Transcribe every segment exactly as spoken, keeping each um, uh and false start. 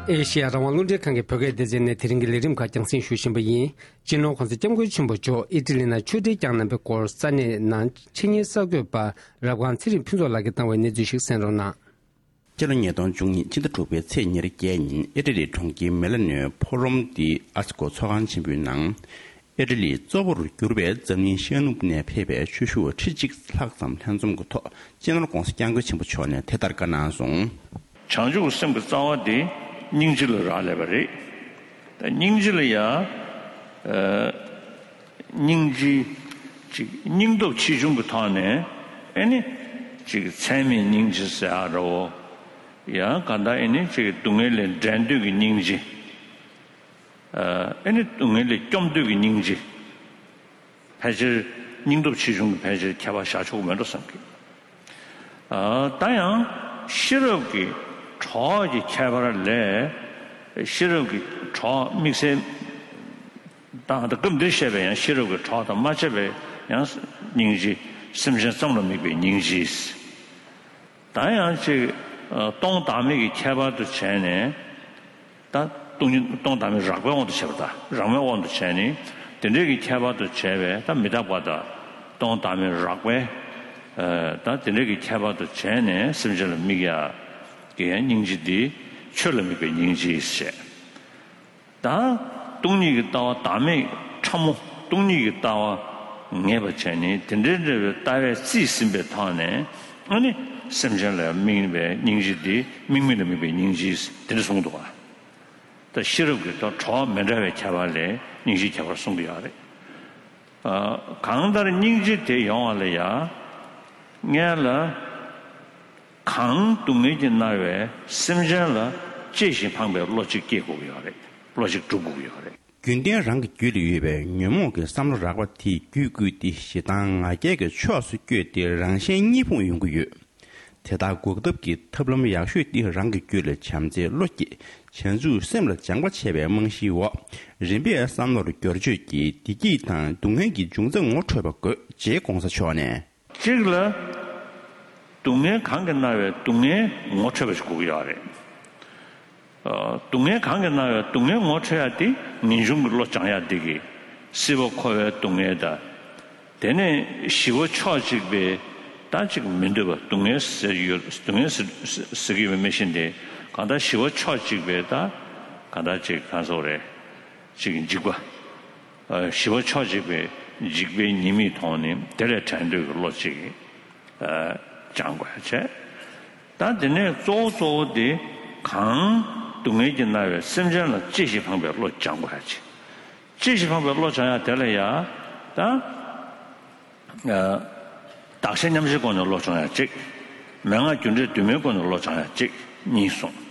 ཨེ་ཤེ་ཡ་རང་དབང་རླུང་འཕྲིན་ཁང་གི་བོད་སྐད་སྡེ་ཚན་ནས་དེ་རིང་གི་ལས་རིམ་ཁག་རྒྱང་སྲིང་ཞུ་བཞིན་པ་ཡིན། སྤྱི་ནོར་༧གོང་ས་༧སྐྱབས་མགོན་ཆེན་པོ་མཆོག་ཨི་ཊ་ལི་ནང་ཆོས་འབྲེལ་བསྐྱངས་གནང་པའི་སྐོར་ས་གནས་ནང་ཆེད་གཉེར་གསར་འགོད་པ་རབ་སྒང་ཚེ་རིང་ཕུན་ཚོགས་ལགས་ཀྱིས་བཏང་བའི་གནས་ཚུལ་ཞིག་གསན་རོགས་གནང་། སྤྱི་ལོ་ཉིས་སྟོང་བཅུ་གཉིས་ཕྱི་ཟླ་དྲུག་པའི་ཚེས་ཉེར་བརྒྱད་ཉིན་ཨི་ཊ་ལིའི་གྲོང་ཁྱེར་མི་ལ་ནོའི་ཕོ་རོམ་ཏི་ཨ་སི་ཀོ་ཚོགས་ཁང་ཆེན་པོའི་ནང་། ཨི་ཊ་ལིའི་གཙོ་བོར་གྱུར་པའི་འཛམ་གླིང་ཤར་ནུབ་ནས་ཕེབས་པའི་ཆོས་ཞུ་བ་ཁྲི་གཅིག་ལྷག་ཙམ་ལྷན་འཛོམས་ཀྱི་ཐོག་སྤྱི་ནོར་༧གོང་ས་༧སྐྱབས་མགོན་ཆེན་པོ་མཆོག་ནས་དེ་ལྟར་བཀའ་གནང་སོང་། བྱང་ཆུབ་སེམས་ཀྱི་རྩ་བ་དེ་སྙིང་རྗེ་ལ་རག་ལས་པ་རེད། ད་སྙིང་རྗེ་ལ་ཡང་། ཨ། སྙིང་རྗེ། ཅིག་སྙིང་སྟོབས་ཆེ་ཆུང་གི་ཐོག་ནས་ཨེ་ནི། ཅིག་ཚད་མེད་སྙིང་རྗེ་ཟེར་ཡ་ར་འོ། ཡང་གང་ལྟར་ཨེ་ནི་ཅིག་སྡུག་བསྔལ་ལས་འབྲལ་འདོད་ཀྱི་སྙིང་རྗེ། ཨ། ཨེ་ནི་སྡུག་བསྔལ་ལས་སྐྱོབ་འདོད་ཀྱི་སྙིང་རྗེ། ཕལ་ཆེར་སྙིང་སྟོབས་ཆེ་ཆུང་གི་ཕལ་ཆེར་ཁྱད་པར་བཞག་ཆོག་གི་མེད་འགྲོ་བསམ་གི། ཨ། ད་ཡང་ཤེས་རབ་ཀྱི་གྲོགས་ཀྱི་ཁྱད་པར་ལས། ཤེས་རབ་ཀྱི་གྲོགས་དམིགས་བསལ་དང་། ད་སྐབས་འདིར་བཤད་པའི་ཡང་ཤེས་རབ་ཀྱི་གྲོགས་དང་མ་ཕྱེ་བའི་ཡང་སྙིང་རྗེ། སེམས་ཅན་ཙམ་ལ་དམིགས་པའི་སྙིང་རྗེ། ད་ཡང་ཅིག་ཨ། སྟོང་བདག་མེད་ཀྱི་ཁྱད་པར་དུ་བྱས་ནས། ད་སྟོང་ཉིད་སྟོང་བདག་མེད་རགས་པའི་དབང་དུ་བྱས་པ་དང་རགས་མའི་དབང་དུ་བྱས་ནས། དེ་འདྲའི་གི་ཁྱད་པར་དུ་བྱས་པའི་ད་མི་རྟག་པ་དང་སྟོང་བདག་མེད་རགས་པའི། ཨ། ད་དེ་འདྲའི་གི་ཁྱད་པར་དུ་བྱས་ནས་སེམས་ཅན་ལ་དམིགས་ཡ་གི་ཡང་སྙིང་རྗེ་འདི་ཆོས་ལ་དམིགས་པའི་སྙིང་རྗེ་ཞེས། ད་སྟོང་ཉིད་ཀྱི་ལྟ་བ་བདག་མེད་ཕྲ་མོ། སྟོང་ཉིད་ཀྱི་ལྟ་བ་ངེས་པར་བྱས་ནས་དེ་འདྲའི་འདྲ་བའི་ལྟ་བས་རྩིས་ཟིན་པའི་ཐོག་ནས་ཨ་ནི་སེམས་ཅན་ལ་དམིགས་པའི་སྙིང་རྗེ་འདི་དམིགས་མེད་ལ་དམིགས་པའི་སྙིང་རྗེ་དེ་འདྲ་གསུངས་འདུག་ག། ད་ཤེས་རབ་ཀྱི་ཐོག་གྲོགས་མི་འདྲ་བའི་ཁྱད་པར་ལས་སྙིང་རྗེའི་ཁྱད་པར་གསུང་གི་ཡོད་རེད། ཨ། གང་ལྟར་སྙིང་རྗེ་དེ་ཡོང་བ་ལ་ཡ། སྔོན་ལ། གང་སྡུག་བསྔལ་གྱིས་མནར་བའི་སེམས་ཅན་ལ་གཅེས་ཤིང་ཕངས་པའི་བློ་གཅིག་སྐྱེ་དགོས་ཀྱི་ཡོད་རེད། བློ་གཅིག་སྒྲུབ་དགོས་ཀྱི་ཡོད་རེད། རྒྱུན་ལྡན་རང་གི་རྒྱུད་ལ་ཡོད་པའི་ཉོན་མོངས་ཀྱི་བསམ་བློ་རགས་པ་དེས་རྒྱུད་བསྐུལ་ཏེ་ཞེ་སྡང་ང་རྒྱལ་གྱི་ཕྱོགས་སུ་བསྐྱོད་དེ་རང་གཞན་གཉིས་ཕུང་ཡོང་གི་ཡོད། དེ་དག་འགོག་ཐབས་ཀྱི་ཐབས་ལམ་ཡག་ཤོས་དེ་རང་གི་རྒྱུད་ལ་བྱམས་བརྩེའི་བློ་སྐྱེས། བྱང་ཆུབ་སེམས་ལ་སྦྱངས་པ་བྱས་པའི་རྨང་གཞིའི་འོག་རིམ་པས་བསམ་བློར་བསྒྱུར་བཅོས་ཀྱིས་བདེ་སྐྱིད་དང་སྡུག་བསྔལ་གྱི་འབྱུང་རྩ་ངོ་འཕྲོད་པ་དགོས། ཅེས་༧གོང་ས་མཆོག་ནས། གཅིག་ལ། སྡུག་བསྔལ་གང་གིས་མནར་བའི་སྡུག་བསྔལ་ངོ་འཕྲོད་པ་ཞིག་དགོས་ཀྱི་ཡོད་རེད། ཨ། སྡུག་བསྔལ་གང་གིས་མནར་བའི་སྡུག་བསྔལ་ངོ་འཕྲོད་ཡ་དེ་ངེས་འབྱུང་གི་བློ་སྦྱང་ཡ་འདི་གི། སྲིད་པ་འཁོར་བའི་སྡུག་བསྔལ་དང་། དེ་ནས་ཞི་བ་ཕྱོགས་གཅིག་པའི་ད་ཅིག་མི་འདོད་པ་སྡུག་བསྔལ་ཟེར་ཡོད། སྡུག་བསྔལ་ཟེར་ཟེར་གྱི་ཡོད་པའི་མི་ཤེས་ཏེ། གང་ལྟར་ཞི་བ་ཕྱོགས་གཅིག་པའི་ད་གང་ལྟར་ཅིག་གང་ཟེར་རེད། ཅིག་འཇིགས་པ། ཨ། ཞི་བ་ཕྱོགས་གཅིག་པའི་འཇིགས་པའི་ཉེས་དམིགས་མཐོང་ནས་དེ་ལས་བྲལ་འདོད་ཀྱི་བློ་གཅིག་ཨ། སྦྱང་དགོས་ཡ་བྱས། ད་དེ་ནས་གཙོ་བོ་གཙོ་བོ་དེ་གང་སྡུག་བསྔལ་གྱིས་མནར་བའི་སེམས་ཅན་ལ་གཅེས་ཤིང་ཕངས་པའི་བློ་སྦྱང་དགོས་ཡ་བྱས། གཅེས་ཤིང་ཕངས་པའི་བློ་སྦྱང་ཡ་དེ་ལ་ཡ། ད། ཨ། བདག་གཞན་མཉམ་བརྗེའི་སྒོ་ནས་བློ་སྦྱང་ཡ་གཅིག་མན་ངག་རྒྱུ་འབྲས་དུ་མའི་སྒོ་ནས་བློ་སྦྱང་ཡ་གཅིག་གཉིས་གསུངས།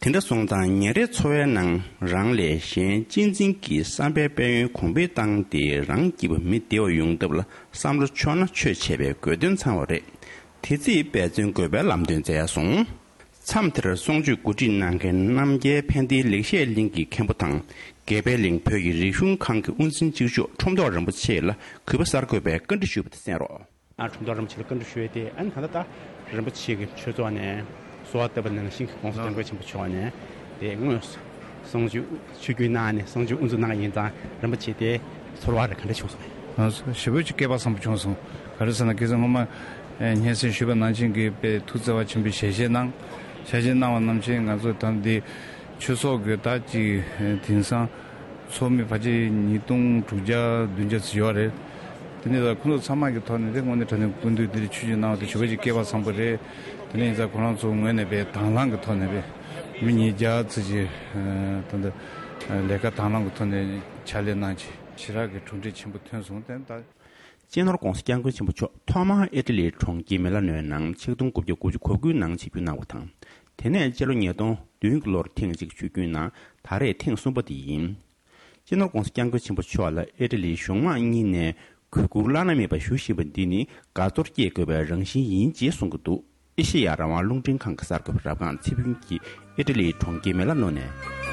དེ་འདྲ་སོང་ཙང་ཉིན་རེའི་འཚོ་བའི་ནང་རང་ལས་གཞན་གཅེས་འཛིན་གྱི་བསམ་པའི་དཔལ་ཡོན་གོང་འཕེལ་བཏང་སྟེ་རང་སྐྱིད་པ་མི་བདེ་བ་ཡོང་ཐབས་ལ་བསམ་བློ་ཕྱོགས་ན་ཆོས་བྱས་པའི་དགོས་དོན་ཚང་བ་རེད། དེ་རྩིས་འབད་བརྩོན་དགོས་པའི་ལམ་སྟོན་བསྩལ་སོང་། མཚམས་དེར་གསུང་ཆོས་གོ་སྒྲིག་གནང་མཁན་རྣམ་རྒྱལ་ཕན་བདེའི་ལེགས་བཤད་གླིང་གི་མཁན་པོ་དང་། དགེ་འཕེལ་གླིང་བོད་ཀྱི་རིག་གཞུང་ཁང་གི་དབུ་འཛིན་གཅིག་ལྕོགས་ཁྲོམ་ཐོག་རིན་པོ་ཆེ་ལ་གུས་པ་གསར་འགོད་པས་བཀའ་འདྲི་ཞུས་པ་དེ་གསན་རོགས། ཨ། ཁྲོམ་ཐོག་རིན་པོ་ཆེ་ལ་བཀའ་འདྲི་ཞུ་ཡས་དེ། ཨ་ནི་ད་ལྟ་རིན་པོ་ཆེ་གི་ཆོས་ཚོགས་ནས་གསོལ་བ་བཏབ་པ་ནང་བཞིན་གྱི་༧གོང་ས་༧སྐྱབས་མགོན་ཆེན་པོ་མཆོག་ནས་དེ་དངོས་སུ་གསུང་ཆོས་ཆོས་བརྒྱུད་གནང་ནས་གསུང་ཆོས་དབུ་འཛུགས་གནང་ཡིན་ཙང་རིན་པོ་ཆེ་དེ་ཚོར་བ་རེ་ག་འདྲ་བྱུང་སོང་། ང་ཚོ་ཞེ་པོ་ཅིག་སྐལ་པ་བཟང་པོ་བྱུང་སོང་། ག་རེ་ཟེར་ན་ཁ་སང་སྔོན་མ་སྙན་སེང་ཞུས་པ་ནང་བཞིན་གྱི་དཔེ་ཐུགས་བརྩེ་བ་ཆེན་པོས་ཞལ་བཞེས་གནང་། ཞལ་བཞེས་གནང་བ་ནང་བཞིན་ང་ཚོ་ད་འདི་ཆོས་ཚོགས་ཀྱི་ད་ཅིག་དེང་སང་ཚོགས་མི་ཕལ་ཆེར་ཉིས་སྟོང་དྲུག་བརྒྱ་བདུན་བརྒྱ་ཙམ་ཡོད་རེད། དེ་ནས་ད་ཁོང་ཚོ་ཚང་མ་གི་ཐོག་ནས་དེ་དངོས་གནས་དྲང་གནས་སྐུ་མདུན་འདིར་ཆོས་ཞུ་གནང་བ་དེ་ཞེ་པོ་ཅིག་སྐལ་པ་བཟང་པོ་རེད། དེ་ནས་ཡིན་ཙང་ཁོ་རང་ཚོ་ངོས་ནས་དཔེ་དང་བླངས་ཀྱི་ཐོག་ནས་དཔེ་མི་ཉིས་བརྒྱ་ཙམ་ཅིག་ད་ལྟ་ལས་ཀ་དང་བླངས་ཀྱི་ཐོག་ནས་ཕྱག་ལས་གནང་བྱས་ཞེ་དྲག་གི་གྲུབ་འབྲས་ཆེན་པོ་ཐོན་སོང་། དེ་ད། སྤྱི་ནོར་༧གོང་ས་༧སྐྱབས་མགོན་ཆེན་པོ་མཆོག་ཐོག་མར་ཨི་ཊ་ལིའི་གྲོང་ཁྱེར་མི་ལ་ནོའི་ནང་ཆིག་སྟོང་དགུ་བརྒྱ་དགུ་བཅུ་གོ་དགུའི་ནང་ཆིབས་བསྒྱུར་གནང་བ་དང་། དེ་ནས་སྤྱི་ལོ་ཉིས་སྟོང་བདུན་གྱི་ལོར་ཐེངས་གཅིག་ཆིབས་བསྒྱུར་གནང་། ད་རེས་ཐེངས་གསུམ་པ་དེ་ཡིན། སྤྱི་ནོར་༧གོང་ས་༧སྐྱབས་མགོན་ཆེན་པོ་མཆོག་ལ་ཨི་ཊ་ལིའི་གཞུང་མང་གཉིས་ནས་གུས་བཀུར་བླ་ན་མེད་པ་ཞུ་བཞིན་པ་འདི་ནི་དགའ་ཚོར་སྐྱེད་དགོས་པའི་རང་བཞིན་ཡིན་ཅེས་གསུང་གི་འདུག་ཨེ་ཤེ་ཡ་རང་དབང་རླུང་འཕྲིན་ཁང་གི་གསར་འགོད་པ་རབ་སྒང་ཚེ་ཕུན་གྱིས་ཨི་ཊ་ལིའི་གྲོང་ཁྱེར་མི་ལ་ནོ་ནས།